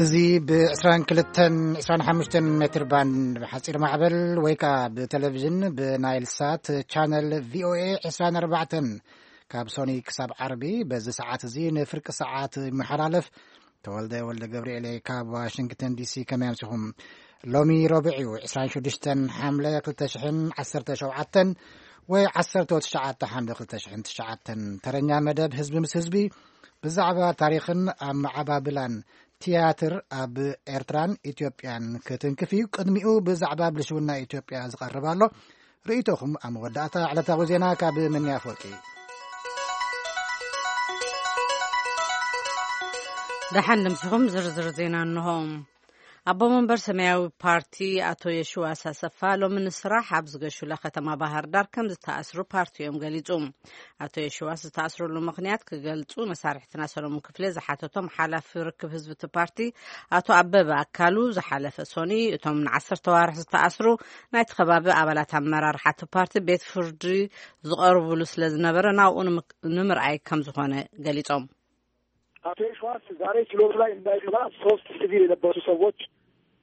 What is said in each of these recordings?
እዚ ብ22፣ 25 ሜትር ባንድ ብሓጺር ማዕበል ወይ ከኣ ብቴሌቪዥን ብናይል ሳት ቻነል ቪ ኦ ኤ 24 ካብ ሶኒ ክሳብ ዓርቢ በዚ ሰዓት እዚ ንፍርቂ ሰዓት ይመሓላለፍ። ተወልደ ወልደ ገብርኤል ካብ ዋሽንግተን ዲ ሲ። ከመይ ኣምሲኹም? ሎሚ ረቡዕ እዩ፣ 26 ሓምለ 2017 ወይ 19 ሓምለ 2009። ተረኛ መደብ ህዝቢ ምስ ህዝቢ ብዛዕባ ታሪኽን ኣመዓባብላን ትያትር ኣብ ኤርትራን ኢትዮጵያን ክትንክፍ እዩ። ቅድሚኡ ብዛዕባ ብልሽውና ኢትዮጵያ ዝቐርብ ኣሎ። ርእይቶኹም ኣብ መወዳእታ ዕለታዊ ዜና ካብ ምንያ ኣፈወርቂ። ደሓን ድምስኹም ዝርዝር ዜና እንሆ። ኣቦ መንበር ሰማያዊ ፓርቲ ኣቶ የሽዋስ ኣሰፋ ሎሚ ንስራሕ ኣብ ዝገሹላ ከተማ ባህር ዳር ከም ዝተኣስሩ ፓርቲኦም ገሊጹ። ኣቶ የሽዋስ ዝተኣስረሉ ምኽንያት ክገልጹ መሳርሕትና ሰሎሞን ክፍሌ ዝሓተቶም ሓላፊ ርክብ ህዝቢ እቲ ፓርቲ ኣቶ ኣበበ ኣካሉ ዝሓለፈ ሶኒ እቶም ንዓሰርተ ዋርሕ ዝተኣስሩ ናይቲ ከባቢ ኣባላት ኣመራርሓ እቲ ፓርቲ ቤት ፍርዲ ዝቐርቡሉ ስለ ዝነበረ ናብኡ ንምክ-፣ ንምርኣይ ከም ዝኾነ ገሊጾም። አቶ የሽዋስ ዛሬ ችሎት ላይ እንዳይገባ ሶስት ሲቪል የለበሱ ሰዎች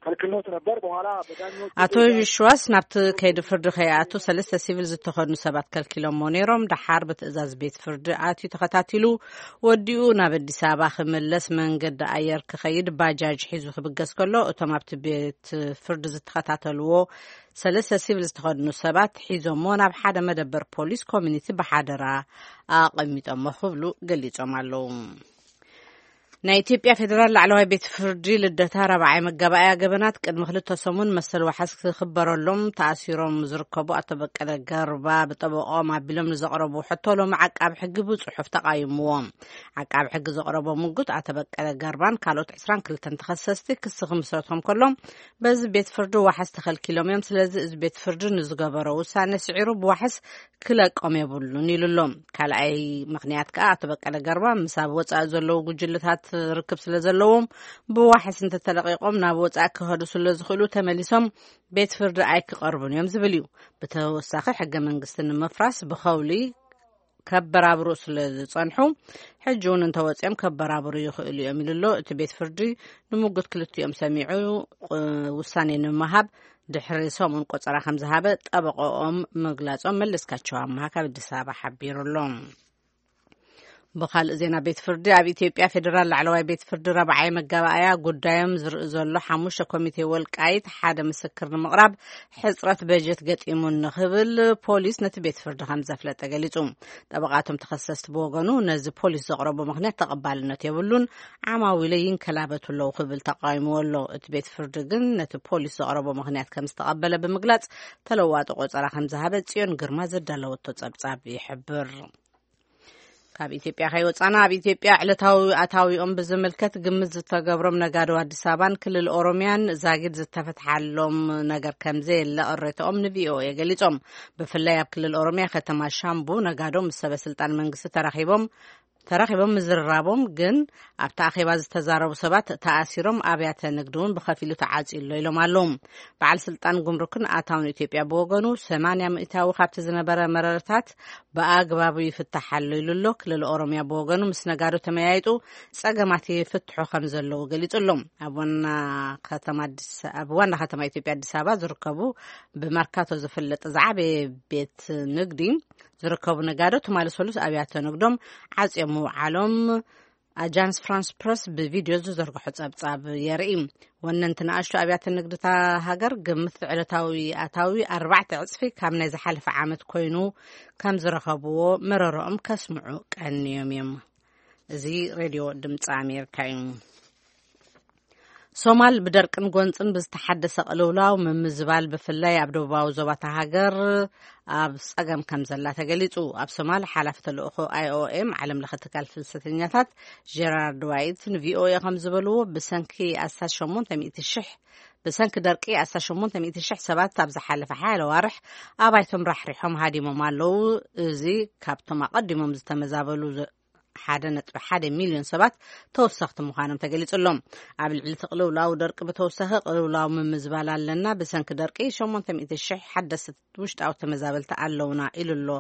ከልክሎት ነበር። በኋላ በዳኞቹ አቶ ትዕዛዝ የሽዋስ ናብቲ ከይዲ ፍርዲ ከይኣቱ ሰለስተ ሲቪል ዝተኸድኑ ሰባት ከልኪሎሞ ነይሮም። ደሓር ብትእዛዝ ቤት ፍርዲ ኣትዩ ተኸታቲሉ ወዲኡ ናብ ኣዲስ ኣበባ ክምለስ መንገዲ ኣየር ክኸይድ ባጃጅ ሒዙ ክብገስ ከሎ እቶም ኣብቲ ቤት ፍርዲ ዝተኸታተልዎ ሰለስተ ሲቪል ዝተኸድኑ ሰባት ሒዞሞ ናብ ሓደ መደበር ፖሊስ ኮሚኒቲ ብሓደራ ኣቐሚጦሞ ክብሉ ገሊጾም ኣለዉ። ናይ ኢትዮጵያ ፌዴራል ላዕለዋይ ቤት ፍርዲ ልደታ ራብዓይ መጋባእያ ገበናት ቅድሚ ክልተ ሰሙን መሰል ዋሕስ ክኽበረሎም ተኣሲሮም ዝርከቡ ኣቶ በቀለ ገርባ ብጠበቆም ኣቢሎም ንዘቕረቡ ሕቶ ሎሚ ዓቃብ ሕጊ ብጽሑፍ ተቓይምዎ። ዓቃብ ሕጊ ዘቕረቦ ምጉት ኣቶ በቀለ ገርባን ካልኦት 22 ተኸሰስቲ ክሲ ክምስረቶም ከሎም በዚ ቤት ፍርዲ ዋሕስ ተኸልኪሎም እዮም። ስለዚ እዚ ቤት ፍርዲ ንዝገበሮ ውሳነ ስዒሩ ብዋሕስ ክለቆም የብሉን ኢሉ ኣሎ። ካልኣይ ምኽንያት ከኣ ኣቶ በቀለ ገርባ ምስ ኣብ ወጻኢ ዘለዉ ጉጅለታት ርክብ ስለ ዘለዎም ብዋሕስ እንተተለቂቖም ናብ ወጻኢ ክኸዱ ስለ ዝኽእሉ ተመሊሶም ቤት ፍርዲ ኣይክቐርቡን እዮም ዝብል እዩ። ብተወሳኺ ሕገ መንግስቲ ንምፍራስ ብኸውሊ ከበራብሩ ስለ ዝጸንሑ ሕጂ እውን እንተወጺኦም ከበራብሩ ይኽእሉ እዮም ኢሉ ኣሎ። እቲ ቤት ፍርዲ ንምጉት ክልቲኦም ሰሚዑ ቁ-፣ ውሳኔ ንምሃብ ድሕሪ ሰሙን ቆጸራ ከም ዝሃበ ጠበቆኦም ምግላጾም መለስካቸው ኣምሃ ካብ ኣዲስ ኣበባ ሓቢሩ ኣሎ። ብኻልእ ዜና ቤት ፍርዲ ኣብ ኢትዮጵያ ፌዴራል ላዕለዋይ ቤት ፍርዲ ረብዓይ መጋባእያ ጉዳዮም ዝርኢ ዘሎ ሓሙሽተ ኮሚቴ ወልቃይት ሓደ ምስክር ንምቕራብ ሕጽረት በጀት ገጢሙን ንኽብል ፖሊስ ነቲ ቤት ፍርዲ ከም ዘፍለጠ ገሊጹ። ጠበቓቶም ተኸሰስቲ ብወገኑ ነዚ ፖሊስ ዘቕረቦ ምኽንያት ተቐባልነት የብሉን፣ ዓማዊለ ይንከላበቱ ኣለዉ ክብል ተቃዊምዎ ኣሎ። እቲ ቤት ፍርዲ ግን ነቲ ፖሊስ ዘቕረቦ ምኽንያት ከም ዝተቐበለ ብምግላጽ ተለዋጢ ቆጸራ ከም ዝሃበ ጽዮን ግርማ ዘዳለወቶ ጸብጻብ ይሕብር። ካብ ኢትዮጵያ ከይወጻና ኣብ ኢትዮጵያ ዕለታዊ ኣታዊኦም ብዝምልከት ግምት ዝተገብሮም ነጋዶ ኣዲስ ኣበባን ክልል ኦሮሚያን ዛጊድ ዝተፈትሓሎም ነገር ከም ዘየለ ቅሬታኦም ን ቪ ኦ ኤ ገሊጾም። ብፍላይ ኣብ ክልል ኦሮሚያ ከተማ ሻምቡ ነጋዶ ምስ ሰበ ስልጣን መንግስቲ ተራኺቦም ተራኺቦም ምዝርራቦም ግን ኣብቲ ኣኼባ ዝተዛረቡ ሰባት ተኣሲሮም ኣብያተ ንግዲ እውን ብኸፊሉ ተዓጽዩ ኣሎ ኢሎም ኣለዉ። በዓል ስልጣን ጉምሩክን ኣታውን ኢትዮጵያ ብወገኑ ሰማንያ ሚእታዊ ካብቲ ዝነበረ መረረታት ብኣግባቡ ይፍታሕ ኣሎ ኢሉ ኣሎ። ክልል ኦሮሚያ ብወገኑ ምስ ነጋዶ ተመያይጡ ጸገማት ይፍትሑ ከም ዘለዉ ገሊጹ ኣሎ። ኣብ ዋና ከተማ ኣዲስ፣ ኣብ ዋና ከተማ ኢትዮጵያ ኣዲስ ኣበባ ዝርከቡ ብመርካቶ ዝፍለጥ ዝዓበየ ቤት ንግዲ ዝርከቡ ነጋዶ ትማሊ ሰሉስ ኣብያተ ንግዶም ዓጽዮም ምውዓሎም ኣጃንስ ፍራንስ ፕረስ ብቪድዮ ዝዘርግሖ ጸብጻብ የርኢ። ወነንቲ ንኣሽቱ ኣብያተ ንግድታ ሃገር ግምት ዕለታዊ ኣታዊ ኣርባዕተ ዕጽፊ ካብ ናይ ዝሓለፈ ዓመት ኮይኑ ከም ዝረኸብዎ መረረኦም ከስምዑ ቀንዮም እዮም። እዚ ሬድዮ ድምፂ ኣሜሪካ እዩ። ሶማል ብደርቅን ጎንፅን ብዝተሓደሰ ቅልውላው ምምዝባል ብፍላይ ኣብ ደቡባዊ ዞባታ ሃገር ኣብ ጸገም ከም ዘላ ተገሊጹ። ኣብ ሶማል ሓላፊ ተልእኾ ኣይ ኦ ኤም ዓለም ለኸ ትካል ፍልሰተኛታት ጀራርድ ዋይት ን ቪ ኦ ኤ ከም ዝበልዎ ብሰንኪ ኣስታት ሸሞንተ ሚእቲ ሽሕ ብሰንኪ ደርቂ ኣስታት ሸሞንተ ሚእቲ ሽሕ ሰባት ኣብ ዝሓለፈ ሓያለ ዋርሕ ኣባይቶም ራሕሪሖም ሃዲሞም ኣለዉ። እዚ ካብቶም ኣቐዲሞም ዝተመዛበሉ ዘ- ሓደ ነጥቢ ሓደ ሚልዮን ሰባት ተወሰኽቲ ምዃኖም ተገሊጹ ኣሎ። ኣብ ልዕሊ እቲ ቅልውላው ደርቂ ብተወሳኺ ቅልውላው ምምዝባል ኣለና። ብሰንኪ ደርቂ ሸሞንተ ሚእቲ ሽሕ ሓደስቲ ውሽጣዊ ተመዛበልቲ ኣለውና ኢሉ ኣሎ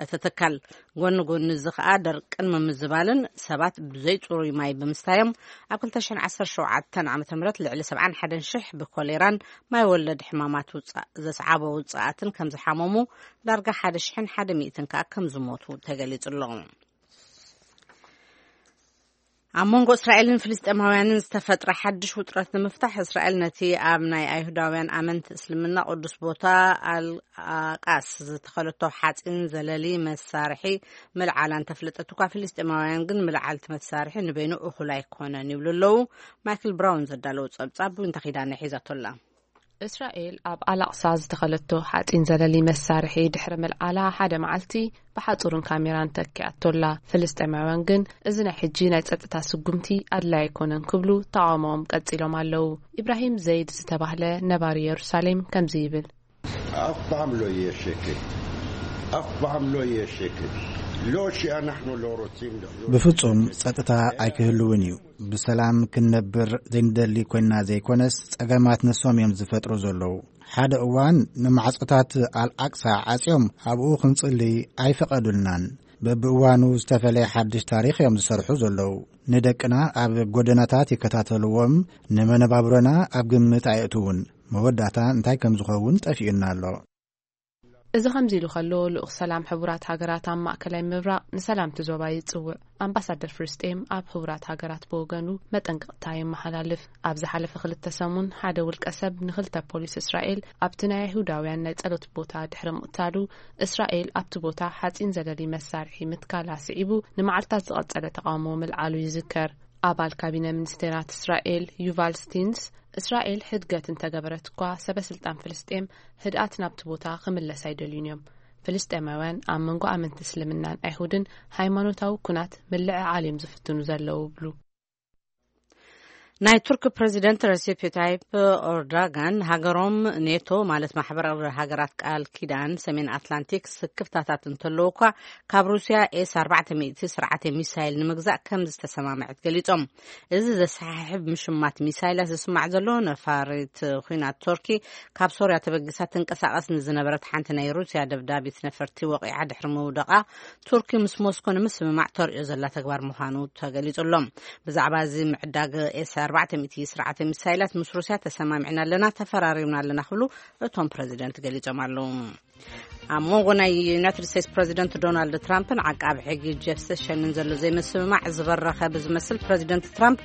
እቲ ትካል። ጎኒ ጎኒ እዚ ከኣ ደርቅን ምምዝባልን ሰባት ብዘይጽሩይ ማይ ብምስታዮም ኣብ ክልተ ሽሕን ዓሰርተ ሸውዓተን ዓመተ ምህረት ልዕሊ ሰብዓን ሓደን ሽሕ ብኮሌራን ማይ ወለድ ሕማማት ውጻ-፣ ዘስዓቦ ውጽኣትን ከም ዝሓመሙ፣ ዳርጋ ሓደ ሽሕን ሓደ ሚእትን ከኣ ከም ዝሞቱ ተገሊጹ ኣሎ። ኣብ መንጎ እስራኤልን ፍልስጤማውያንን ዝተፈጥረ ሓድሽ ውጥረት ንምፍታሕ፣ እስራኤል ነቲ ኣብ ናይ ኣይሁዳውያን ኣመንቲ እስልምና ቅዱስ ቦታ ኣልኣቃስ ዝተኸለቶ ሓፂን ዘለሊ መሳርሒ ምልዓላ እንተፍለጠት እኳ፣ ፍልስጤማውያን ግን ምልዓል እቲ መሳርሒ ንበይኑ እኹል ኣይኮነን ይብሉ ኣለዉ። ማይክል ብራውን ዘዳለዉ ጸብጻብ ዊንታ ኪዳነ ሒዛቶላ። እስራኤል ኣብ ኣላቕሳ ዝተኸለቶ ሓፂን ዘለሊ መሳርሒ ድሕሪ ምልዓላ ሓደ መዓልቲ ብሓፁርን ካሜራን ተኪኣቶላ። ፍልስጤማውያን ግን እዚ ናይ ሕጂ ናይ ጸጥታ ስጉምቲ ኣድላይ ኣይኮነን ክብሉ ተቓውሞኦም ቀጺሎም ኣለዉ። ኢብራሂም ዘይድ ዝተባህለ ነባሪ የሩሳሌም ከምዚ ይብል። אף פעם לא יהיה שקט. אף פעם לא יהיה שקט. לא שאנחנו לא רוצים לחיות. ብፍጹም ጸጥታ ኣይክህልውን እዩ። ብሰላም ክንነብር ዘይንደሊ ኮይንና ዘይኮነስ፣ ጸገማት ንሶም እዮም ዝፈጥሩ ዘለዉ። ሓደ እዋን ንማዕጾታት ኣልኣቅሳ ዓጽዮም ኣብኡ ክንጽሊ ኣይፈቐዱልናን። በብእዋኑ ዝተፈለየ ሓድሽ ታሪኽ እዮም ዝሰርሑ ዘለዉ። ንደቅና ኣብ ጎደናታት ይከታተልዎም፣ ንመነባብሮና ኣብ ግምት ኣየእትዉን። መወዳእታ እንታይ ከም ዝኸውን ጠፊኡና ኣሎ። እዚ ከምዚ ኢሉ ከሎ፣ ልኡኽ ሰላም ሕቡራት ሃገራት ኣብ ማእከላይ ምብራቕ ንሰላም እቲ ዞባ ይጽውዕ። ኣምባሳደር ፍልስጤም ኣብ ሕቡራት ሃገራት ብወገኑ መጠንቀቕታ የመሓላልፍ። ኣብ ዝሓለፈ ክልተ ሰሙን ሓደ ውልቀ ሰብ ንኽልተ ፖሊስ እስራኤል ኣብቲ ናይ ኣይሁዳውያን ናይ ጸሎት ቦታ ድሕሪ ምቕታሉ፣ እስራኤል ኣብቲ ቦታ ሓጺን ዘለሊ መሳርሒ ምትካላ ስዒቡ ንመዓልታት ዝቐጸለ ተቓውሞ ምልዓሉ ይዝከር። ኣባል ካቢነ ሚኒስቴራት እስራኤል ዩቫል ስቲንስ፣ እስራኤል ሕድገት እንተገበረት እኳ፣ ሰበ ስልጣን ፍልስጤም ህድኣት ናብቲ ቦታ ክምለስ ኣይደልዩን እዮም። ፍልስጤማውያን ኣብ መንጎ ኣመንቲ እስልምናን ኣይሁድን ሃይማኖታዊ ኩናት ምልዕዓል እዮም ዝፍትኑ ዘለዉ ይብሉ። ናይ ቱርክ ፕረዚደንት ረሲፕ ታይፕ ኦርዳጋን፣ ሃገሮም ኔቶ ማለት ማሕበር ሃገራት ቃል ኪዳን ሰሜን ኣትላንቲክ ስክፍታታት እንተለዉ እኳ፣ ካብ ሩስያ ኤስ ኣርባዕተ ሚእቲ ስርዓተ ሚሳይል ንምግዛእ ከም ዝተሰማምዐት ገሊጾም። እዚ ዘሰሓሕብ ምሽማት ሚሳይላት ዝስማዕ ዘሎ፣ ነፋሪት ኲናት ቱርኪ ካብ ሶርያ ተበጊሳ ትንቀሳቐስ ንዝነበረት ሓንቲ ናይ ሩስያ ደብዳቢት ነፈርቲ ወቒዓ ድሕሪ ምውደቓ፣ ቱርኪ ምስ ሞስኮ ንምስምማዕ ተርእዮ ዘላ ተግባር ምዃኑ ተገሊጹ ኣሎ። ብዛዕባ እዚ ምዕዳግ ኤስ ኣርባዕተ ሚእቲ ስርዓተ ሚሳይላት ምስ ሩስያ ተሰማሚዕና ኣለና፣ ተፈራሪምና ኣለና ክብሉ እቶም ፕረዚደንት ገሊጾም ኣለዉ። ኣብ መንጎ ናይ ዩናይትድ ስቴትስ ፕረዚደንት ዶናልድ ትራምፕን ዓቃቢ ሕጊ ጀፍ ሴሽንን ዘሎ ዘይምስምማዕ ዝበረኸ ብዝመስል፣ ፕረዚደንት ትራምፕ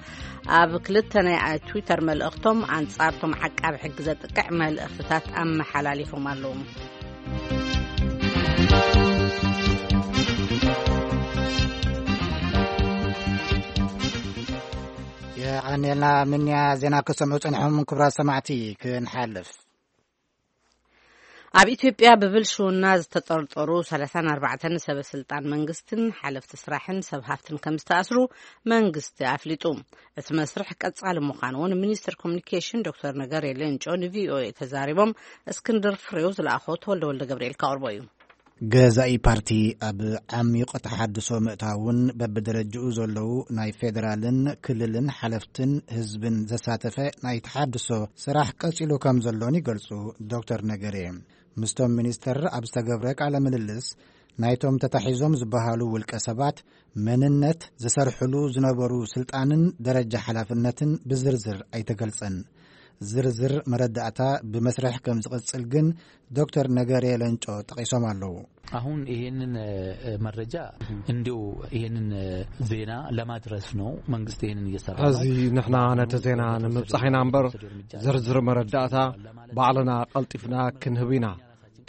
ኣብ ክልተ ናይ ትዊተር መልእኽቶም ኣንጻርቶም ዓቃቢ ሕጊ ዘጥቅዕ መልእኽትታት ኣመሓላሊፎም ኣለዉ። የቐንየልና ምንያ ዜና ክሰምዑ ጽንሖም ክብራት ሰማዕቲ ክንሓልፍ። ኣብ ኢትዮጵያ ብብልሽውና ዝተጠርጠሩ ሰላሳን ኣርባዕተን ሰበ ስልጣን መንግስትን ሓለፍቲ ስራሕን ሰብ ሃፍትን ከም ዝተኣስሩ መንግስቲ ኣፍሊጡ። እቲ መስርሕ ቀጻሊ ምዃኑ እውን ሚኒስትር ኮሚኒኬሽን ዶክተር ነገሪ ሌንጮ ንቪኦኤ ተዛሪቦም። እስክንድር ፍሬው ዝለኣኾ ተወልደ ወልደ ገብርኤል ከቕርቦ እዩ። ገዛኢ ፓርቲ ኣብ ዓሚቕ ተሓድሶ ምእታውን በብደረጅኡ ዘለዉ ናይ ፌደራልን ክልልን ሓለፍትን ህዝብን ዘሳተፈ ናይ ተሓድሶ ስራሕ ቀጺሉ ከም ዘሎን ይገልጹ ዶክተር ነገሬ። ምስቶም ሚኒስተር ኣብ ዝተገብረ ቃለ ምልልስ፣ ናይቶም ተታሒዞም ዝበሃሉ ውልቀ ሰባት መንነት፣ ዝሰርሕሉ ዝነበሩ ስልጣንን ደረጃ ሓላፍነትን ብዝርዝር ኣይተገልጸን። ዝርዝር መረዳእታ ብመስርሕ ከም ዝቕጽል ግን ዶክተር ነገሬ ለንጮ ጠቒሶም ኣለዉ። አሁን ይሄንን መረጃ እንዲሁ ይሄንን ዜና ለማድረስ ነው መንግስት ይሄንን እየሰራ ነው። ሕዚ ንሕና ነቲ ዜና ንምብጻሕ ኢና እምበር፣ ዝርዝር መረዳእታ ባዕልና ቀልጢፍና ክንህብ ኢና።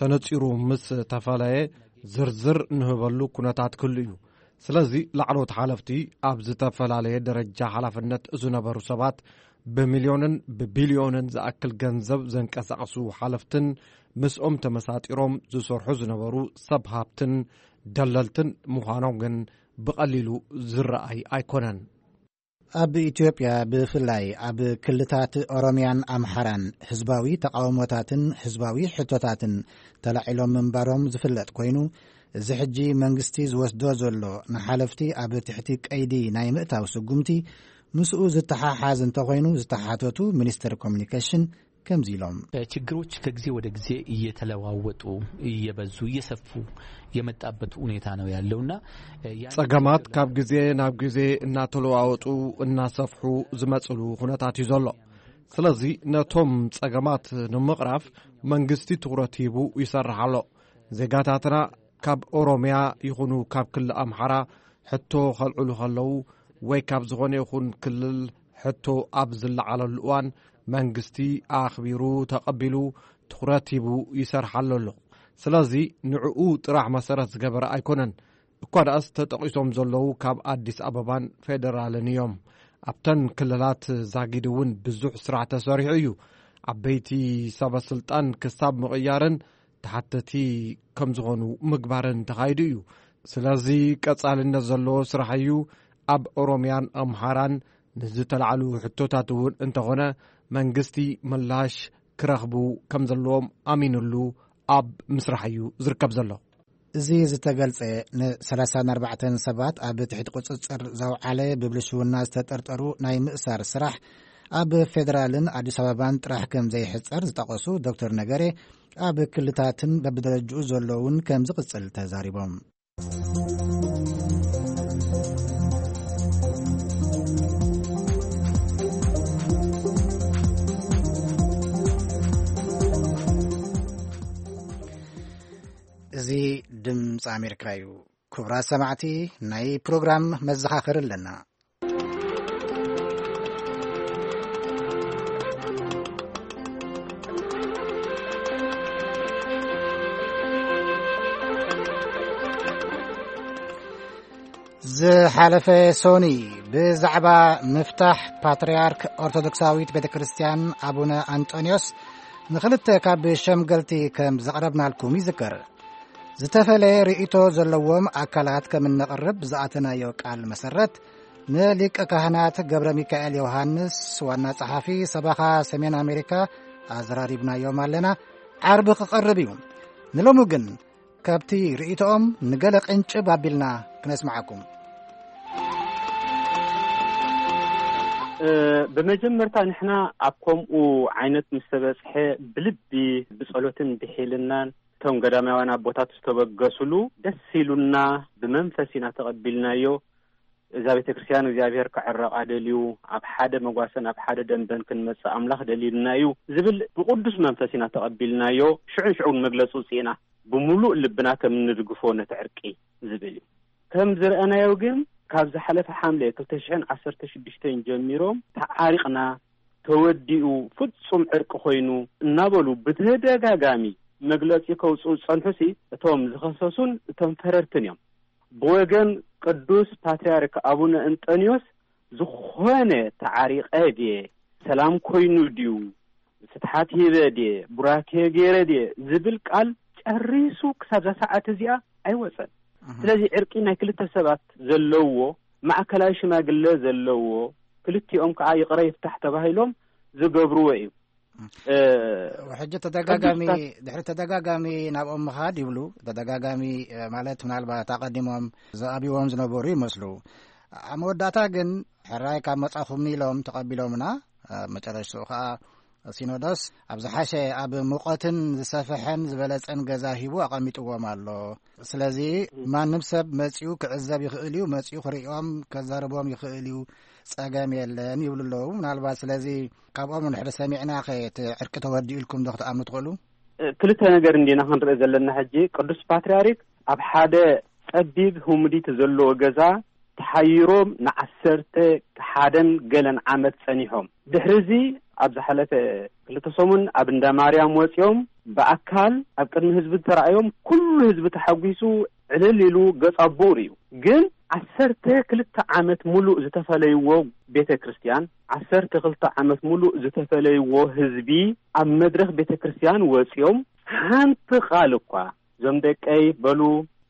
ተነጺሩ ምስ ተፈለየ ዝርዝር ንህበሉ ኩነታት ክህሉ እዩ። ስለዚ ላዕለዎት ሓለፍቲ፣ ኣብ ዝተፈላለየ ደረጃ ሓላፍነት ዝነበሩ ሰባት፣ ብሚልዮንን ብቢልዮንን ዝኣክል ገንዘብ ዘንቀሳቕሱ ሓለፍትን ምስኦም ተመሳጢሮም ዝሰርሑ ዝነበሩ ሰብ ሃብትን ደለልትን ምዃኖም ግን ብቐሊሉ ዝረኣይ ኣይኮነን። ኣብ ኢትዮጵያ፣ ብፍላይ ኣብ ክልታት ኦሮምያን ኣምሓራን፣ ህዝባዊ ተቓውሞታትን ህዝባዊ ሕቶታትን ተላዒሎም ምንባሮም ዝፍለጥ ኮይኑ፣ እዚ ሕጂ መንግስቲ ዝወስዶ ዘሎ ንሓለፍቲ ኣብ ትሕቲ ቀይዲ ናይ ምእታው ስጉምቲ ምስኡ ዝተሓሓዝ እንተኾይኑ ዝተሓተቱ ሚኒስትር ኮሚኒኬሽን ከምዚ ኢሎም። ችግሮች ከጊዜ ወደ ጊዜ እየተለዋወጡ፣ እየበዙ፣ እየሰፉ የመጣበት ሁኔታ ነው ያለውና፣ እ፣ ያን ጸገማት ችግር ካብ ግዜ ናብ ግዜ እናተለዋወጡ እናሰፍሑ ዝመጽሉ ኩነታት እዩ ዘሎ። ስለዚ ነቶም ጸገማት ንምቕራፍ መንግስቲ ትኹረት ሂቡ ይሰርሕ ኣሎ። ዜጋታትና ካብ ኦሮምያ ይኹኑ ካብ ክልል ኣምሓራ ሕቶ ከልዕሉ ከለዉ ወይ ካብ ዝኾነ ይኹን ክልል ሕቶ ኣብ ዝለዓለሉ እዋን መንግስቲ ኣኽቢሩ ተቐቢሉ ትኹረት ሂቡ ይሰርሓሉ ኣሎ። ስለዚ ንዕኡ ጥራሕ መሰረት ዝገበረ ኣይኮነን። እኳ ደኣስ ተጠቒሶም ዘለዉ ካብ ኣዲስ ኣበባን ፌደራልን እዮም። ኣብተን ክልላት ዛጊድ እውን ብዙሕ ስራሕ ተሰሪሑ እዩ። ዓበይቲ ሰበ ስልጣን ክሳብ ምቕያርን ተሓተቲ ከም ዝኾኑ ምግባርን ተኻይዱ እዩ። ስለዚ ቀጻልነት ዘለዎ ስራሕ እዩ። ኣብ ኦሮምያን ኣምሓራን ንዝተላዕሉ ሕቶታት እውን እንተኾነ መንግስቲ ምላሽ ክረኽቡ ከም ዘለዎም ኣሚኑሉ ኣብ ምስራሕ እዩ ዝርከብ ዘሎ። እዚ ዝተገልጸ ን34 ሰባት ኣብ ትሕቲ ቁጽጽር ዘውዓለ ብብልሽውና ዝተጠርጠሩ ናይ ምእሳር ስራሕ ኣብ ፌደራልን ኣዲስ ኣበባን ጥራሕ ከም ዘይሕጸር ዝጠቐሱ ዶክተር ነገሬ፣ ኣብ ክልታትን በብደረጅኡ ዘለውን ከም ዝቕጽል ተዛሪቦም። እዚ ድምፂ ኣሜሪካ እዩ። ክቡራት ሰማዕቲ፣ ናይ ፕሮግራም መዘኻኸሪ ኣለና። ዝሓለፈ ሶኒ ብዛዕባ ምፍታሕ ፓትርያርክ ኦርቶዶክሳዊት ቤተ ክርስቲያን ኣቡነ ኣንጦንዮስ ንኽልተ ካብ ሸምገልቲ ከም ዘቕረብናልኩም ይዝከር። ዝተፈለየ ርእይቶ ዘለዎም ኣካላት ከም እነቕርብ ብዝኣተናዮ ቃል መሰረት፣ ንሊቀ ካህናት ገብረ ሚካኤል ዮሃንስ፣ ዋና ጸሓፊ ሰበኻ ሰሜን ኣሜሪካ፣ ኣዘራሪብናዮም ኣለና። ዓርቢ ክቐርብ እዩ። ንሎሚ ግን ካብቲ ርእይቶኦም ንገለ ቅንጭብ ኣቢልና ክነስምዓኩም። እ፣ ብመጀመርታ ንሕና ኣብ ከምኡ ዓይነት ምስ ተበጽሐ ብልቢ ብጸሎትን ብሒልናን እቶም ገዳማውያን ኣቦታት ዝተበገሱሉ ደስ ኢሉና ብመንፈስ ኢና ተቐቢልናዮ። እዛ ቤተ ክርስቲያን እግዚኣብሔር ክዕረቓ ደልዩ፣ ኣብ ሓደ መጓሰን ኣብ ሓደ ደንበን ክንመጽእ ኣምላኽ ደልዩልና እዩ ዝብል ብቕዱስ መንፈስ ኢና ተቐቢልናዮ። ሽዑን ሽዑን መግለጺ ውጽእና ብምሉእ ልብና ከም እንድግፎ ነቲ ዕርቂ ዝብል እዩ። ከም ዝረኣናዮ ግን ካብ ዝሓለፈ ሓምለ ክልተ ሽሕን ዓሰርተ ሽዱሽተን ጀሚሮም ተዓሪቕና፣ ተወዲኡ፣ ፍጹም ዕርቂ ኮይኑ እናበሉ ብተደጋጋሚ መግለጺ ከውጽኡ ዝጸንሑሲ እቶም ዝኸሰሱን እቶም ፈረድትን እዮም። ብወገን ቅዱስ ፓትርያርክ ኣቡነ እንጠንዮስ ዝኾነ ተዓሪቐ ድየ፣ ሰላም ኮይኑ ድዩ፣ ፍትሓት ሂበ ድየ፣ ቡራኬ ገይረ ድየ ዝብል ቃል ጨሪሱ ክሳብ እዛ ሰዓት እዚኣ ኣይወጸን። እህ። ስለዚ ዕርቂ ናይ ክልተ ሰባት ዘለዎ፣ ማእከላይ ሽማግለ ዘለዎ፣ ክልቲኦም ከዓ ይቕረ ይፍታሕ ተባሂሎም ዝገብርዎ እዩ። እ፣ ሕጂ ተደጋጋሚ፣ ቅዱስ ፓት- ድሕሪ ተደጋጋሚ ናብኦም ምኻድ ይብሉ። ተደጋጋሚ፣ እ፣ ማለት ምናልባት ኣቐዲሞም ዝኣብይዎም ዝነበሩ ይመስሉ። ኣብ መወዳእታ ግን ሕራይ ካብ መጻኹም ኢሎም ተቐቢሎምና። ኣብ መጨረሽትኡ ኸኣ ሲኖዶስ ኣብ ዝሓሸ፣ ኣብ ሙቐትን ዝሰፍሐን ዝበለጸን ገዛ ሂቡ ኣቐሚጥዎም ኣሎ። ስለዚ ማንም ሰብ መጺኡ ክዕዘብ ይኽእል እዩ፣ መጺኡ ክርእዮም ከዛርቦም ይኽእል እዩ፣ ጸገም የለን ይብሉ ኣለዉ። ምናልባት ስለዚ ካብኦም ንድሕሪ ሰሚዕና ኸ እቲ ዕርቂ ተወዲኡ ኢልኩም ዶ ክትኣምኑ ትኽእሉ? እ፣ ክልተ ነገር እንዲና ክንርኢ ዘለና። ሕጂ ቅዱስ ፓትርያርክ ኣብ ሓደ ጸቢብ ህሙዲት ዘለዎ ገዛ ተሓይሮም ንዓሰርተ ሓደን ገለን ዓመት ጸኒሖም። ድሕሪ እዚ ኣብ ዝሓለፈ ክልተ ሰሙን ኣብ እንዳ ማርያም ወጺኦም ብኣካል ኣብ ቅድሚ ህዝቢ ተራእዮም፣ ኩሉ ህዝቢ ተሓጒሱ ዕልል ኢሉ ገጽ ኣቦኡ ርእዩ። ግን ዓሰርተ ክልተ ዓመት ሙሉእ ዝተፈለይዎ ቤተ ክርስቲያን፣ ዓሰርተ ክልተ ዓመት ሙሉእ ዝተፈለይዎ ህዝቢ ኣብ መድረኽ ቤተ ክርስቲያን ወጺኦም ሓንቲ ቃል እኳ፣ "እዞም ደቀይ በሉ፣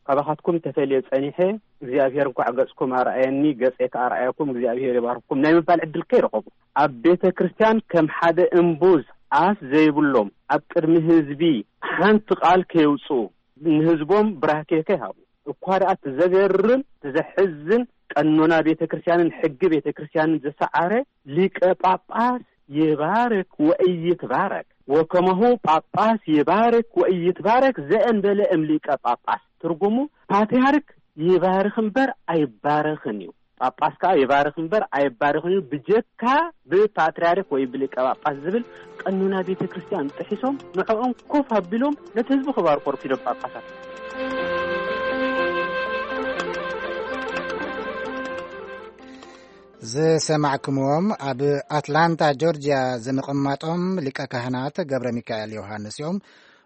ካባኻትኩም ተፈልየ ጸኒሐ፣ እግዚኣብሔር እንኳዕ ገጽኩም ኣርኣየኒ፣ ገጸይ ከኣ ኣርኣየኩም፣ እግዚኣብሔር ይባርክኩም" ናይ ምባል ዕድል ከይረኸቡ፣ ኣብ ቤተ ክርስቲያን ከም ሓደ እምቡዝ ኣፍ ዘይብሎም ኣብ ቅድሚ ህዝቢ ሓንቲ ቃል ከየውጽኡ፣ ንህዝቦም ብራኬ ከይሃቡ፣ እኳ ደኣ እቲ ዘገርም፣ እቲ ዘሕዝን፣ ቀኖና ቤተ ክርስቲያንን ሕጊ ቤተ ክርስቲያንን ዝሰዓረ፣ ሊቀ ጳጳስ ይባርክ ወኢይትባረክ፣ ወከማሁ ጳጳስ ይባርክ ወኢይትባረክ ዘእንበለ እም ሊቀ ጳጳስ። ትርጉሙ፣ ፓትርያርክ ይባርክ እምበር ኣይባረኽን እዩ። ጳጳስ ከኣ ይባርኽ እምበር ኣይባረኽን እዩ፣ ብጀካ ብፓትርያርክ ወይ ብሊቀ ጳጳስ ዝብል ቀኖና ቤተ ክርስቲያን ጥሒሶም፣ ንዕኦም ኮፍ ኣቢሎም ነቲ ህዝቢ ክባርኮ ረፊዶም ጳጳሳት። ዝሰማዕኩምዎም ኣብ ኣትላንታ ጆርጅያ ዝምቕማጦም ሊቀ ካህናት ገብረ ሚካኤል ዮሃንስ እዮም።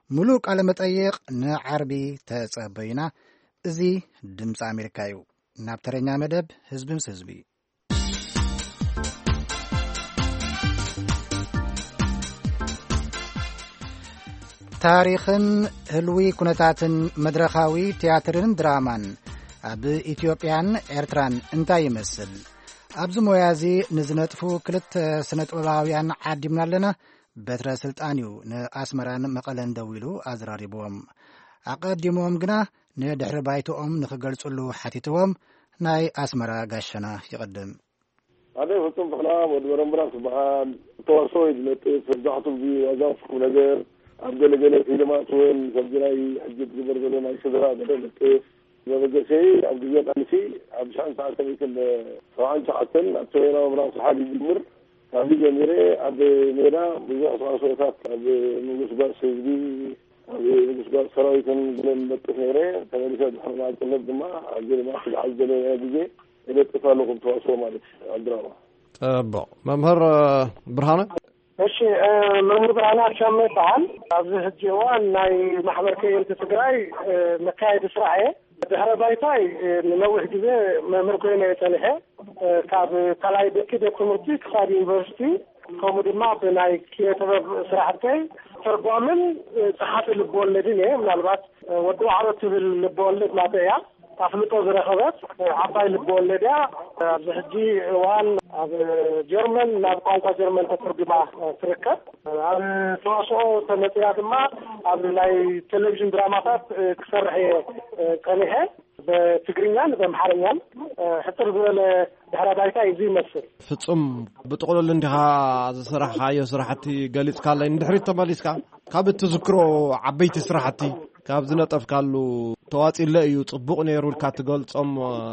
ሙሉእ ቃለ መጠይቕ ንዓርቢ ተጸበዩና። እዚ ድምፂ ኣሜሪካ እዩ። ናብ ተረኛ መደብ ህዝቢ ምስ ህዝቢ። ታሪኽን ህልዊ ኩነታትን መድረኻዊ ትያትርን ድራማን ኣብ ኢትዮጵያን ኤርትራን እንታይ ይመስል? ኣብዚ ሞያ እዚ ንዝነጥፉ ክልተ ስነ ጥበባውያን ዓዲምና ኣለና። በትረ ስልጣን እዩ ንኣስመራን መቐለን ደዊሉ ኣዘራሪብዎም። ኣቐዲሞም ግና ንድሕሪ ባይትኦም ንኽገልጽሉ ሓቲትዎም ናይ ኣስመራ ጋሸና ይቕድም። ኣነ ፍጹም ተኽለኣብ ወዲ በረምብራ ትበሃል። ተዋስኦ እዩ ዝነጥፍ። መብዛሕትኡ ግዜ ዋዛ ፍኩም ነገር ኣብ ገለገለ ፊልማት እውን ከምዚ ናይ ሕጂ ትግበር ዘሎ ናይ ስድራ ገለ ነጥፍ። መበገሰይ ኣብ ግዜ ቃልሲ ኣብ ሽሕን ትሽዓተ ሚእትን ሰብዓን ትሽዓተን ኣብ ሰሜናዊ ምብራቕ ስሓል ይጅምር። ካብዚ ጀሚረ ኣብ ሜዳ ብዙሕ ተዋስኦታት ኣብ ንጉስ ጓስ ህዝቢ፣ ኣብ ንጉስ ጓስ ሰራዊትን ገለን ነጥፍ ነይረ። ተመሊሰ ድሕሪ ናጽነት ድማ ኣብዚ ድማ ክዝዓል ዘለናዮ ግዜ እነጥፍ ኣለኹ ብተዋስኦ ማለት እዩ፣ ኣብ ድራማ። ጽቡቕ። መምህር ብርሃነ? እሺ፣ እ፣ መምህር ብርሃነ ኣሻመ ይበሃል። ኣብዚ ሕጂ እዋን ናይ ማሕበር ከየንቲ ትግራይ፣ እ፣ መካየዲ ስራሕ እየ። ድሕረ ባይታይ፣ እ፣ ንነዊሕ ግዜ መምህር ኮይነ እየ ጸኒሐ። እ፣ ካብ ካልኣይ ብርኪ ቤት ትምህርቲ ክሳብ ዩኒቨርሲቲ፣ ከምኡ ድማ ብናይ ኪነ ጥበብ ስራሕተይ ተርጓምን፣ እ፣ ጸሓፊ ልብወለድን እየ። ምናልባት፣ እ፣ ወዲ ዋዕሮ ትብል ልብወለድ ናተይ እያ። ኣፍልጦ ዝረኸበት፣ እ፣ ዓባይ ልብወለድ እያ። ኣብዚ ሕጂ እዋን ኣብ ጀርመን ናብ ቋንቋ ጀርመን ተተርጉማ፣ እ፣ ትርከብ። ኣብ ተዋስኦ ተመጽያ ድማ ኣብ ናይ ቴሌቪዥን ድራማታት፣ እ፣ ክሰርሕ እየ፣ እ፣ ጸኒሐ። ብትግርኛን ብኣምሓርኛን፣ እ፣ ሕጽር ዝበለ ድሕረ ባይታ እዚ ይመስል። ፍጹም፣ ብጥቕሉል እንዲኻ ዝሰራሕካዮ ስራሕቲ ገሊጽካለይ። ንድሕሪት ተመሊስካ ካብ እትዝክሮ ዓበይቲ ስራሕቲ ካብ ዝነጠፍካሉ ተዋጺለ እዩ ጽቡቕ ነይሩ ኢልካ ትገልጾም፣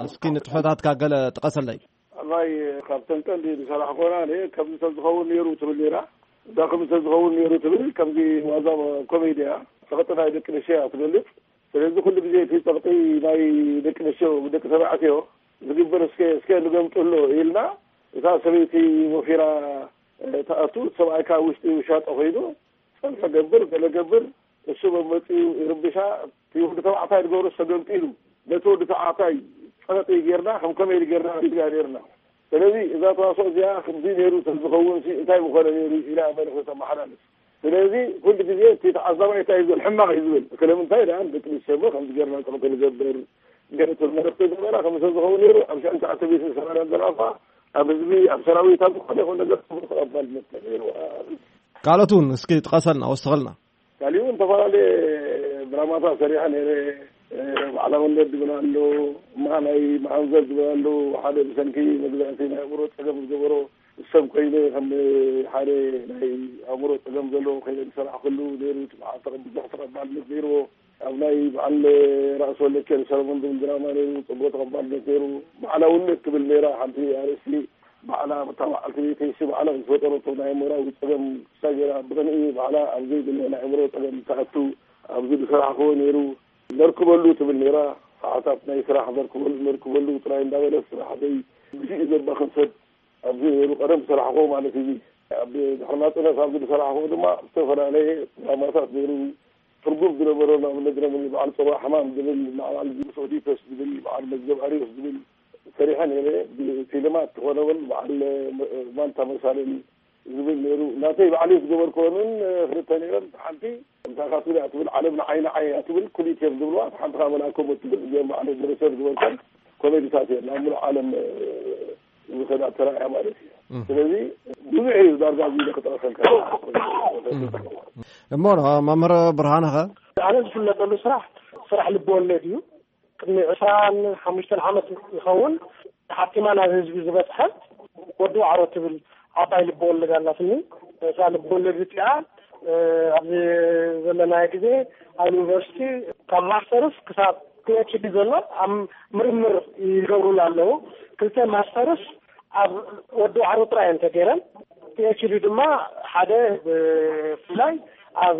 እስኪ ንጥፈታትካ ገለ ጥቀሰለይ። ኣባይ ካብተን ቀንዲ ዝሰራሕኮና እኔ ከምዚ ተዝኸውን ነይሩ ትብል ነይራ። እዛ ከምዚ ተዝኸውን ነይሩ ትብል ከምዚ ዋዛ ኮሜድያ፣ ጸቕጢ ናይ ደቂ ኣንስትዮ እያ ትገልጽ። ስለዚ ኩሉ ግዜ እቲ ጸቕጢ ናይ ደቂ ኣንስትዮ፣ ደቂ ተባዕትዮ ዝግበር እስከ፣ እስከ ንገምጥሎ ኢልና፣ እታ ሰበይቲ ወፊራ፣ እ፣ ትኣቱ፣ ሰብኣይ ካብ ውሽጢ ውሻጠ ኮይኑ፣ ጸብሒ ገብር፣ ገለ ገብር፣ እሱ መመጺኡ ይርብሻ፣ እቲ ወዲ ተባዕታይ ዝገብሮ ተገምጢሉ፣ ነቲ ወዲ ተባዕታይ ጸቕጢ ጌርና፣ ከም ኮሜዲ ጌርና ሪጋ ኔርና። ስለዚ እዛ ተዋስኦ እዚኣ ከምዚ ነይሩ ተዝኸውን ሲ እንታይ ምኾነ ነይሩ ኢላ መልእኽቲ ተመሓላልፍ። ስለዚ ኩሉ ግዜ እቲ ተዓዛባይ እንታይ እዩ ዝብል? ሕማቕ እዩ ዝብል። ስለምንታይ ደኣ ደቂ ኣንስትዮ እሞ ከምዚ ጌርና ጸቕጢ ንገብር? ገለ እቲ መልእኽቲ ገበራ ከም ተዝኸውን ነይሩ፣ ኣብ ሽሕን ትሽዓተ ሚእትን ሰማንያን ዘልኣፋ ኣብ ህዝቢ፣ ኣብ ሰራዊት፣ ኣብ ዝኾነ ይኹን ነገር ጽቡቕ ተቐባልነት ነይርዋ። ካልኦት እውን እስኪ ጥቀሰልና፣ ወስኸልና። ካሊእ እውን ዝተፈላለየ ድራማታት ሰሪሐ ነይረ። እ፣ ባዕላውነት ዝብል ኣሎ፣ እማ ናይ መኣንዘር ዝብል ኣሎ፣ ሓደ ብሰንኪ መግዛእቲ ናይ ኣእምሮ ጸገም ዝገበሮ ሰብ ኮይነ ከም ሓደ ናይ ኣእምሮ ጸገም ዘለዎ ኮይነ ዝሰራሕኩሉ ነይሩ። እቲ መዓልቲ ብዙሕ ተቐባልነት ነይርዎ። ኣብ ናይ በዓል ራእሲ ወለኬን ሰለሞን ዝብል ድራማ ነይሩ፣ ጽቡቕ ተቐባልነት ነይሩ። ባዕላውነት ትብል ነይራ ሓንቲ ኣርእስቲ፣ ባዕላ እታ በዓልቲ ቤተይሲ ባዕላ ዝፈጠረቶ ናይ ኣእምራዊ ጸገም ክሳብ ገይራ ብቕንኢ ባዕላ ኣብ ዘይድለ ናይ ኣእምሮ ጸገም ትኣቱ ኣብዚ ዝሰራሕክዎ ነይሩ። ነርክበሉ ትብል ነይራ፣ ሰዓታት ናይ ስራሕ ዘርክበሉ፣ ነርክበሉ ጥራይ እንዳበለት ስራሕተይ ግዜኡ ዘባኽን ሰብ ኣብዚ ነይሩ። ቀደም ዝሰራሕክዎ ማለት እዩ። ኣብ ድሕሪ ናጽነት ኣብዚ ዝሰራሕክዎ ድማ ዝተፈላለየ ድራማታት ነይሩ። ትርጉም ዝነበሮ ንኣብነት ድረም በዓል ጽርዋ ሕማም ዝብል፣ በዓል ኦዲፐስ ዝብል፣ በዓል መዝገብ ኣርዮስ ዝብል ሰሪሐ ነይረ። ብፊልማት ዝኾነ እውን በዓል ማንታ መሳልል ዝብል ነይሩ። ናተይ ባዕለይ ዝገበርክወንን ክልተ ነይረን። ሓንቲ እንታይ እያ ትብል እያ ትብል፣ ዓለም ንዓይ ንዓይ እያ ትብል፣ ኩሊት እዮም ዝብልዋ። ሓንቲ ከዓ መልኣኮም እትብል፣ እዚኦም ባዕለይ ዝርሰር ዝገበርኩን ኮሜዲታት እየን ናብ ሙሉእ ዓለም ዝኸዳ ተራእያ ማለት እዩ። እም። ስለዚ ብዙሕ እዩ ዳርጋ እዚ ኢለ ክጠቕሰልካ። እም። እሞ መምህር ብርሃነ ኸ? ኣነ ዝፍለጠሉ ስራሕ ስራሕ ልብወለድ እዩ። ቅድሚ ዕስራን ሓሙሽተን ዓመት ይኸውን ሓቲማ ናብ ህዝቢ ዝበፅሐ ወዲ ዋዕሮ ትብል ዓባይ ልብወለድ ኣላትኒ። እዛ ልብወለድ እዚኣ ኣብዚ ዘለናዮ ግዜ ኣብ ዩኒቨርሲቲ ካብ ማስተርስ ክሳብ ፒኤችዲ ዘሎ ኣብ ምርምር ይገብሩሉ ኣለዉ። ክልተ ማስተርስ ኣብ ወዲ ዋዕሮ ጥራይ እየን ተገይረን። ፒኤችዲ ድማ ሓደ ብፍላይ ኣብ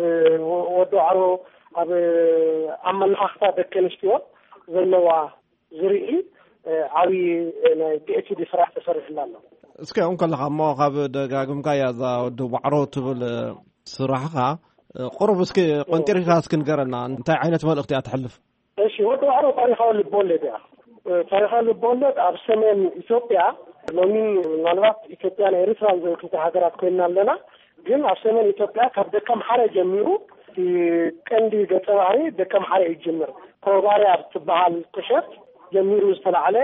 ወዲ ዋዕሮ ኣብ ኣመለኻኽታ ደቂ ኣንስትዮ ዘለዋ ዝርኢ ዓብዪ ናይ ፒኤችዲ ስራሕ ተሰሪሕላ ኣሎ። እስከ እንከለኻ እሞ ካብ ደጋግምካያ እዛ ወዲ ዋዕሮ ትብል ስራሕኻ ቁሩብ እስኪ ቆንጢርካ እስኪ ንገረና እንታይ ዓይነት መልእኽቲ እያ ትሕልፍ? እሺ፣ ወዲ ዋዕሮ ታሪኻዊ ልብወለድ እያ። ታሪኻዊ ልብወለድ ኣብ ሰሜን ኢትዮጵያ፣ ሎሚ ምናልባት ኢትዮጵያን ኤርትራን ዝብል ክልተ ሃገራት ኮይንና ኣለና። ግን ኣብ ሰሜን ኢትዮጵያ ካብ ደቀምሓረ ጀሚሩ እቲ ቀንዲ ገጸ ባህሪ ደቀምሓረ እዩ ዝጅምር። ኮባርያ ትበሃል ቁሸት ጀሚሩ ዝተላዕለ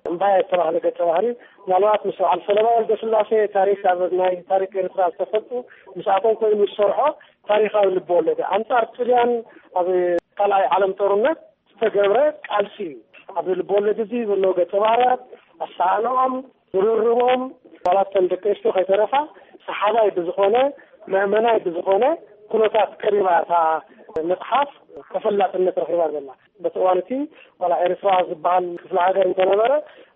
እምባያ ዝተባህለ ገጸ ባህሪ ምናልባት ምስ በዓል ፈለማ ወልደስላሴ ታሪክ ኣብ ናይ ታሪክ ኤርትራ ዝተፈልጡ ምስኣቶም ኮይኑ ዝሰርሖ ታሪኻዊ ልብወለድ ኣንጻር ጥልያን ኣብ ካልኣይ ዓለም ጦርነት ዝተገብረ ቃልሲ እዩ። ኣብዚ ልብወለድ እዚ ዘለዉ ገጸ ባህርያት ኣሰኣእንኦም ዝርርቦም ዋላ እተን ደቂ ኣንስትዮ ከይተረፋ ሰሓባይ ብዝኾነ መእመናይ ብዝኾነ ኩነታት ቀሪባ እታ መጽሓፍ ተፈላጥነት ረኺባ ዘላ። በቲ እዋን እቲ ዋላ ኤርትራ ዝበሃል ክፍለ ሃገር እንተነበረ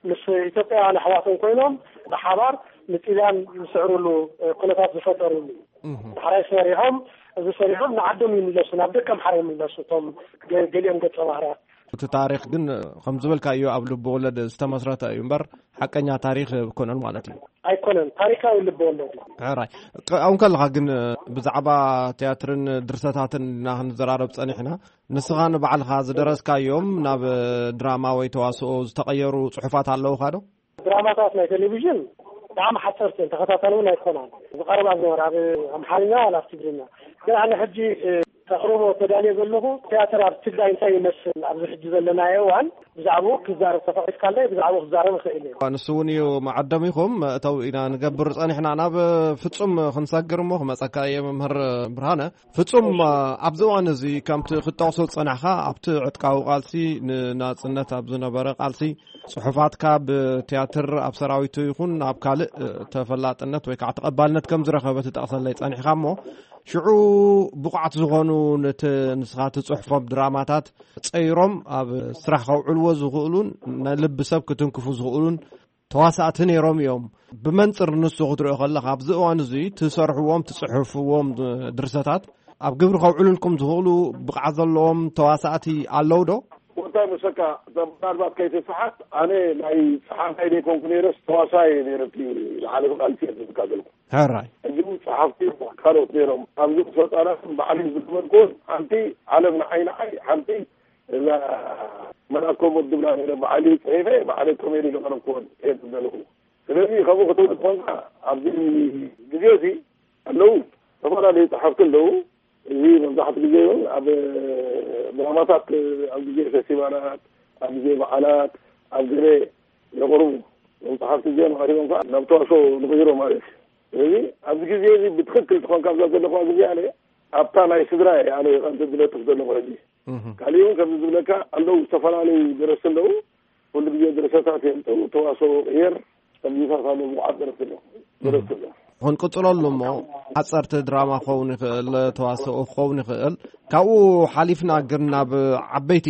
ምስ ኢትዮጵያውያን ኣሕዋቶም ኮይኖም ብሓባር ንጥልያን ዝስዕርሉ ኩነታት ዝፈጠሩሉ እዩ። ዳሕራይ ሰሪሖም እዚ ሰሪሖም ንዓዶም ይምለሱ ናብ ደቀምሓረ ይምለሱ እቶም ገሊኦም ገጸ ባህርያት። እቲ ታሪኽ ግን ከም ዝበልካዮ ኣብ ልቢ ወለድ ዝተመስረተ እዩ እምበር ሓቀኛ ታሪኽ ኣይኮነን ማለት እዩ። ኣይኮነን፣ ታሪካዊ ልቢ ወለድ እዩ። ሕራይ። ኣብኡ ከለኻ ግን ብዛዕባ ትያትርን ድርሰታትን ኢና ክንዘራረብ ጸኒሕና። ንስኻ ንባዕልኻ ዝደረስካዮም ናብ ድራማ ወይ ተዋስኦ ዝተቐየሩ ጽሑፋት ኣለውኻ ዶ? ድራማታት ናይ ቴሌቪዥን ብጣዕሚ ሓፀርቲ እዮም፣ ተኸታታሊ እውን ኣይኮናን። ዝቐርባ ዝነበራ ኣብ ኣምሓርኛ ዋላ ኣብ ትግርኛ። ግን ኣነ ሕጂ ከቕርቦ ተዳልየ ዘለኹ ትያትር ኣብ ትግራይ እንታይ ይመስል ኣብዚ ሕጂ ዘለናዮ እዋን ብዛዕባኡ ክዛረብ ተፈቒድካለይ ብዛዕባኡ ክዛረብ እኽእል እየ። ንሱ እውን እዩ መዓደሚኹም መእተው ኢና ንገብር ጸኒሕና። ናብ ፍጹም ክንሰግር እሞ ክመጸካ እየ መምህር ብርሃነ። ፍጹም ኣብዚ እዋን እዚ ከምቲ ክትጠቕሶ ዝጸናሕካ ኣብቲ ዕጥቃዊ ቃልሲ ንናጽነት ኣብ ዝነበረ ቃልሲ ጽሑፋትካ ብትያትር ኣብ ሰራዊቱ ይኹን ኣብ ካልእ ተፈላጥነት ወይ ከዓ ተቐባልነት ከም ዝረኸበ ትጠቕሰለይ ጸኒሕካ እሞ ሽዑ ብቑዓት ዝኾኑ ነቲ ንስኻ ትጽሕፎም ድራማታት ጸይሮም ኣብ ስራሕ ከውዕልዎ ዝኽእሉን ንልቢ ሰብ ክትንክፉ ዝኽእሉን ተዋሳእቲ ነይሮም እዮም። ብመንጽር ንሱ ክትሪኦ ከለኻ ኣብዚ እዋን እዚ ትሰርሕዎም ትጽሕፍዎም ድርሰታት ኣብ ግብሪ ከውዕሉልኩም ዝኽእሉ ብቕዓት ዘለዎም ተዋሳእቲ ኣለዉ ዶ? ወንታይ መሰካ እዛ ምናልባት ከይትስሓት ኣነ ናይ ጸሓፋይ ዘይኮንኩ ነይረስ ተዋሳይ እየ ነይረ እቲ ዝሓለፈ ቃልሲ እየ ዝብልካ ዘለኩ። ሕራይ። ሕጂ እውን ጸሓፍቲ ካልኦት ነይሮም ኣብዚ ክሰልጣናትን ባዕሊ ዝነበርኩን ሓንቲ ዓለም ንዓይ ንዓይ ሓንቲ እዛ መላኮ ሞት ድብላ ነይረ ባዕሊ ጽሒፈ ባዕሊ ኮሜዲ ዘቕረብኩዎን እየ ዝደለኹ። ስለዚ ከምኡ ክትብል ኮንካ ኣብዚ ግዜ እዚ ኣለዉ ዝተፈላለዩ ጸሓፍቲ ኣለዉ። እዚ መብዛሕትኡ ግዜ እውን ኣብ ድራማታት ኣብ ግዜ ፌስቲቫላት ኣብ ግዜ በዓላት ኣብ ገለ የቕርቡ። እዞም ጸሓፍቲ እዚኦም ኣሪቦም ከዓ ናብ ተዋስኦ ንቕይሮ ማለት እዩ። ስለዚ ኣብዚ ግዜ እዚ ብትኽክል ትኾንካ ኣብዛ ዘለኹዋ ግዜ ኣነ ኣብታ ናይ ስድራ እየ ኣነ ቀንዲ ዝነጥፍ ዘለኹ ሕጂ። ካሊእ እውን ከምዚ ዝብለካ ኣለዉ ዝተፈላለዩ ደረስቲ ኣለዉ። ኩሉ ግዜ ድርሰታት የምፅኡ ተዋስኦ ቅየር ከምዚታት ኣለዉ ብቑዓት ደረስቲ ኣለዉ። ደረስቲ ኣለዉ። ክንቅፅለሉ እሞ ሓፀርቲ ድራማ ክኸውን ይኽእል ተዋስኦ ክኸውን ይኽእል። ካብኡ ሓሊፍና ግን ናብ ዓበይቲ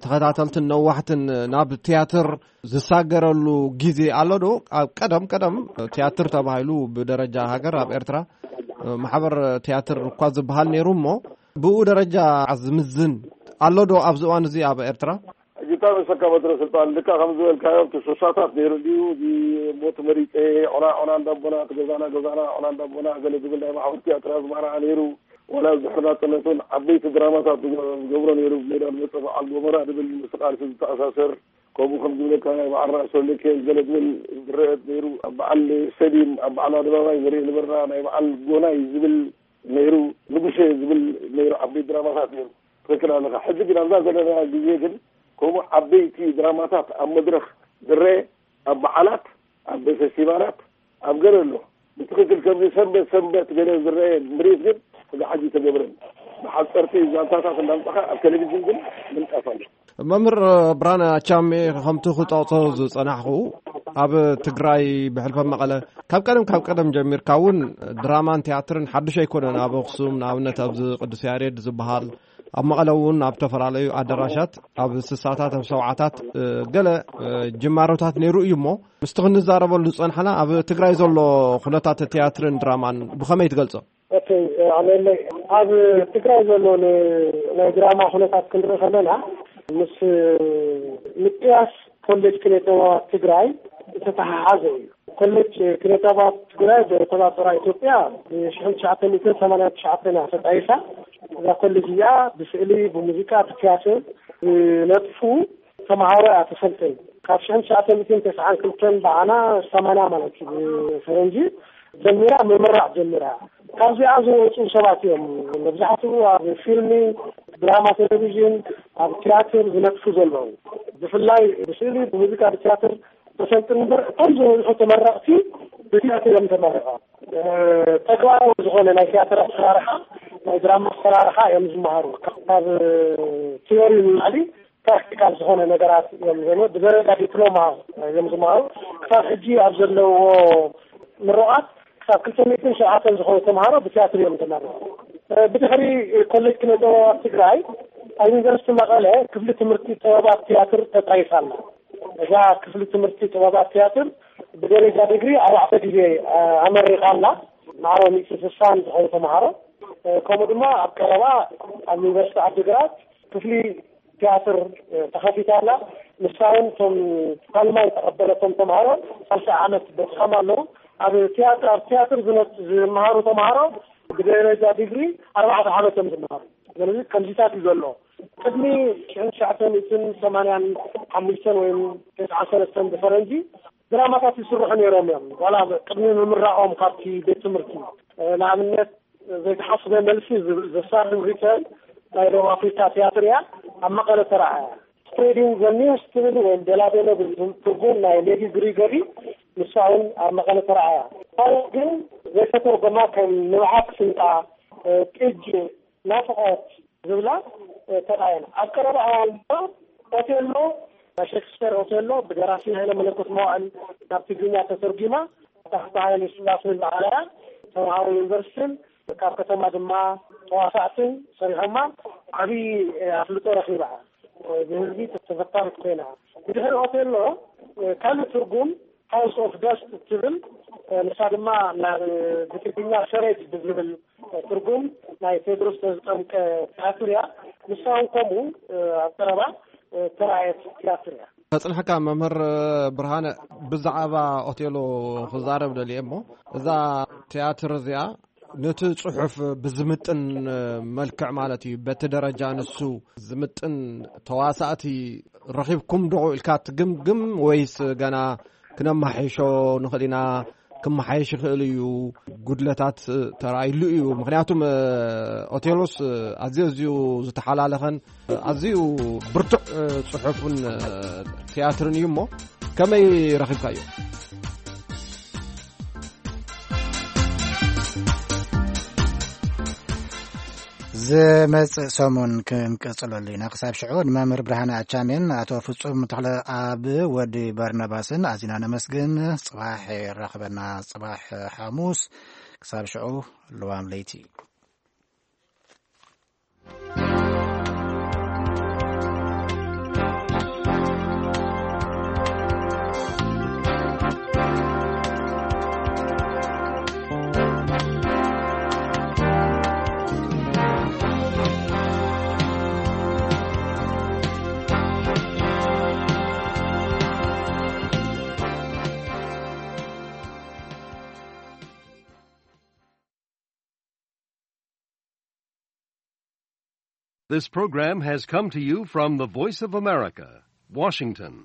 ተኸታተልትን ነዋሕትን ናብ ትያትር ዝሳገረሉ ግዜ ኣሎ ዶ? ኣብ ቀደም ቀደም ትያትር ተባሂሉ ብደረጃ ሃገር ኣብ ኤርትራ ማሕበር ትያትር እኳ ዝበሃል ነይሩ እሞ ብኡ ደረጃ ዝምዝን ኣሎ ዶ ኣብዚ እዋን እዚ ኣብ ኤርትራ? ሕጂ እንታይ መሰካ በትረ ስልጣን ልካ ከም ዝበልካዮ እቲ ሱሳታት ነይሩ ድዩ? እዚ ሞት መሪፀ ዑና ዑና እንዳቦና እቲ ገዛና ገዛና ዑና እንዳቦና ገለ ዝብል ናይ ማሕበር ትያትር ኣዝማራ ነይሩ። ዋላ ዝሕር ናፅነት እውን ዓበይቲ ድራማታት ዝገብሮ ነይሩ። ሜዳ ዝመፀ በዓል ጎመራ ዝብል ምስ ቃልሲ ዝተኣሳሰር ከምኡ ከም ዝብለካ ናይ በዓል ራእሲ ወልደኪኤል ገለ ዝብል ዝረአ ነይሩ። ኣብ በዓል ስቴድዩም ኣብ በዓል ኣደባባይ ዘርኢ ነበርና ናይ በዓል ጎናይ ዝብል ነይሩ። ንጉሴ ዝብል ነይሩ። ዓበይቲ ድራማታት ነይሩ። ትክክል ኣለካ። ሕዚ ግን ኣብዛ ዘለና ግዜ ግን ከምኡ ዓበይቲ ድራማታት ኣብ መድረክ ዝረአ ኣብ በዓላት ኣብ ፌስቲቫላት ኣብ ገለ ኣሎ። ብትክክል ከምዚ ሰንበት ሰንበት ገለ ዝረአ ምርኢት ግን እዚ ሓጂ ተገብረን። ሓፀርቲ ዛንታታት እንዳምፃኻ ኣብ ቴሌቪዥን ግን ምንጣፍ ኣሎ። መምህር ብርሃነ ኣቻሜ፣ ከምቲ ክጠቕሶ ዝጸናሕኹ፣ ኣብ ትግራይ ብሕልፈ መቐለ ካብ ቀደም ካብ ቀደም ጀሚርካ እውን ድራማን ቲያትርን ሓድሽ ኣይኮነን። ኣብ ኣኽሱም ንኣብነት ኣብዚ ቅዱስ ያሬድ ዝበሃል፣ ኣብ መቐለ እውን ኣብ ዝተፈላለዩ ኣዳራሻት ኣብ ስሳታት ኣብ ሰብዓታት ገለ ጅማሮታት ነይሩ እዩ። እሞ ምስቲ ክንዛረበሉ ዝጸንሓና ኣብ ትግራይ ዘሎ ኩነታት ቲያትርን ድራማን ብኸመይ ትገልጾ? እቲ ኣለለይ ኣብ ትግራይ ዘሎ ን- ናይ ድራማ ኩነታት ክንርኢ ከለና ምስ ምጥያስ ኮሌጅ ክነ ጥበባት ትግራይ ዝተተሓሓዘ እዩ። ኮሌጅ ክነ ጥበባት ትግራይ ብቆፃፅራ ኢትዮጵያ ብሽሕን ትሽዓተ ሚእትን ሰማንያን ትሽዓተን እያ ተጣይሳ። እዛ ኮሌጅ እዚኣ ብስእሊ፣ ብሙዚቃ፣ ብቲያትር ዝነጥፉ ተምሃሮ እያ ተሰልጥን። ካብ ሽሕን ትሽዓተ ሚእትን ተስዓን ክልተን ብዓና ሰማንያ ማለት እዩ ብፈረንጂ ጀሚራ ምምራቕ ጀሚራ። ካብዚኣ ዝወፁ ሰባት እዮም መብዛሕትኡ ኣብ ፊልሚ፣ ድራማ፣ ቴሌቪዥን፣ ኣብ ቲያትር ዝነጥፉ ዘለዉ። ብፍላይ ብስእሊ፣ ብሙዚቃ፣ ብቲያትር ተሰልጥን እምበር እቶም ዝበዝሑ ተመረቕቲ ብቲያትር እዮም ተመረቐ። ተግባራዊ ዝኾነ ናይ ቲያትር ኣሰራርሓ፣ ናይ ድራማ ኣሰራርሓ እዮም ዝመሃሩ። ካብ ቲዮሪ ንላዕሊ ፕራክቲካል ዝኾነ ነገራት እዮም ዘለ ብደረጃ ዲፕሎማ እዮም ዝመሃሩ። ክሳብ ሕጂ ኣብ ዘለዎ ምሩቓት ክሳብ ክልተ ሚእትን ሸውዓተን ዝኾኑ ተምሃሮ ብቲያትር እዮም ተመረቑ። ብድሕሪ ኮሌጅ ክነ ጥበባት ትግራይ ኣብ ዩኒቨርሲቲ መቐለ ክፍሊ ትምህርቲ ጥበባት ቲያትር ተጣይሳ ኣላ። እዛ ክፍሊ ትምህርቲ ጥበባት ቲያትር ብደረጃ ዲግሪ ኣርባዕተ ግዜ ኣመሪቓ ኣላ። ማዕረ ሚእቲ ስሳን ዝኾኑ ተምሃሮ ከምኡ ድማ ኣብ ቀረባ ኣብ ዩኒቨርሲቲ ዓዲግራት ክፍሊ ቲያትር ተኸፊታ ኣላ። ንሳ እውን እቶም ሳልማይ ተቐበለቶም ተምሃሮ ሳልሳይ ዓመት በፅሖም ኣለዉ። ኣብ ቲያትር ኣብ ቲያትር ዝመሃሩ ተምሃሮ ብደረጃ ዲግሪ ኣርባዕተ ዓመት እዮም ዝመሃሩ። ስለዚ ከምዚታት እዩ ዘሎ። ቅድሚ ሽሕን ትሽዓተ ሚእትን ሰማንያን ሓሙሽተን ወይ ተስዓን ሰለስተን ብፈረንጂ ድራማታት ይስርሑ ነይሮም እዮም። ዋላ ቅድሚ ምምራቖም ካብቲ ቤት ትምህርቲ ንኣብነት ዘይተሓስበ መልሲ ዘሳርም ሪተርን ናይ ደቡብ ኣፍሪካ ቲያትር እያ ኣብ መቐለ ተረኣያ። ስፕሬዲንግ ዘ ኒውስ ትብል ወይም ደላደሎ ትርጉም ናይ ሌዲ ግሪጎሪ ንሳ እውን ኣብ መቐለ ተረኣያ። ካልኦት ግን ዘይተተርጎማ ከም ንብዓት ስንጣ፣ ጥጅ፣ ናፍቆት ዝብላ ተራእየን። ኣብ ቀረባ እዋን ድማ ኦቴሎ፣ ናይ ሼክስፒር ኦቴሎ ብደራሲ ሃይለ መለኮት መዋእል ናብ ትግርኛ ተተርጒማ፣ ታሕቲ ሃይለ ስላሴ ዝዓለያ ተምሃሮ ዩኒቨርሲቲን ካብ ከተማ ድማ ተዋሳእትን ሰሪሖማ ዓብዪ ኣፍልጦ ረኺባ። ብህዝቢ ተፈታዊት ኮይና። ብድሕሪ ኦቴሎ ካልእ ትርጉም ሃውስ ኦፍ ደስት እትብል ንሳ ድማ ናብ ብትግርኛ ሰሬት ብዝብል ትርጉም ናይ ቴድሮስ ተዝጠምቀ ትያትር እያ። ንሳ እውን ከምኡ ኣብ ቀረባ ተራእየት ትያትር እያ። ከጽንሐካ መምህር ብርሃነ፣ ብዛዕባ ኦቴሎ ክዛረብ ደልየ እሞ፣ እዛ ትያትር እዚኣ ነቲ ጽሑፍ ብዝምጥን መልክዕ ማለት እዩ፣ በቲ ደረጃ ንሱ ዝምጥን ተዋሳእቲ ረኺብኩም ዶ ኢልካ ትግምግም ወይስ ገና ክነማሓይሾ ንኽእል ኢና፣ ክመሓየሽ ይኽእል እዩ፣ ጉድለታት ተራእይሉ እዩ? ምኽንያቱም ኦቴሎስ ኣዝዩ ኣዝዩ ዝተሓላለኸን ኣዝዩ ብርቱዕ ጽሑፍን ትያትርን እዩ እሞ ከመይ ረኺብካዮ? ዝመጽእ ሰሙን ክንቀጽለሉ ኢና። ክሳብ ሽዑ ንመምህር ብርሃነ ኣቻሜን ኣቶ ፍጹም ተኽለ ኣብ ወዲ በርናባስን ኣዚና ነመስግን። ጽባሕ የራኽበና፣ ጽባሕ ሓሙስ። ክሳብ ሽዑ ልዋም ለይቲ። This program has come to you from the Voice of America, Washington.